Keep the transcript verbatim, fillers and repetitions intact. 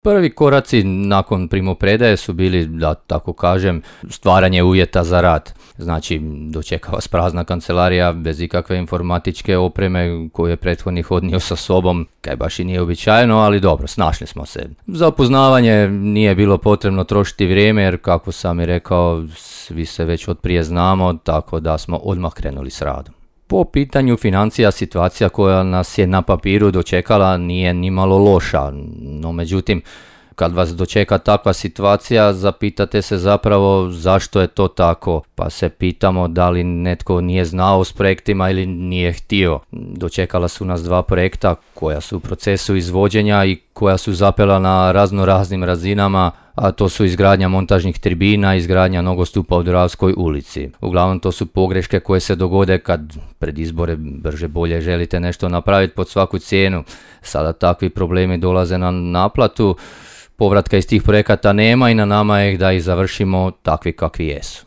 Prvi koraci nakon primopredaje su bili, da tako kažem, stvaranje uvjeta za rad. Znači, dočekava vas prazna kancelarija bez ikakve informatičke opreme koju je prethodnik odnio sa sobom, kaj baš i nije uobičajeno, ali dobro, snašli smo se. Za upoznavanje nije bilo potrebno trošiti vrijeme, jer kako sam i rekao, svi se već od prije znamo, tako da smo odmah krenuli s radom. Po pitanju financija, situacija koja nas je na papiru dočekala nije ni malo loša, no međutim, kad vas dočeka takva situacija, zapitate se zapravo zašto je to tako, pa se pitamo da li netko nije znao s projektima ili nije htio. Dočekala su nas dva projekta koja su u procesu izvođenja i koja su zapela na razno raznim razinama, a to su izgradnja montažnih tribina i izgradnja nogostupa u Dravskoj ulici. Uglavnom to su pogreške koje se dogode kad pred izbore brže bolje želite nešto napraviti pod svaku cijenu. Sada takvi problemi dolaze na naplatu, povratka iz tih projekata nema i na nama je da ih završimo takvi kakvi jesu.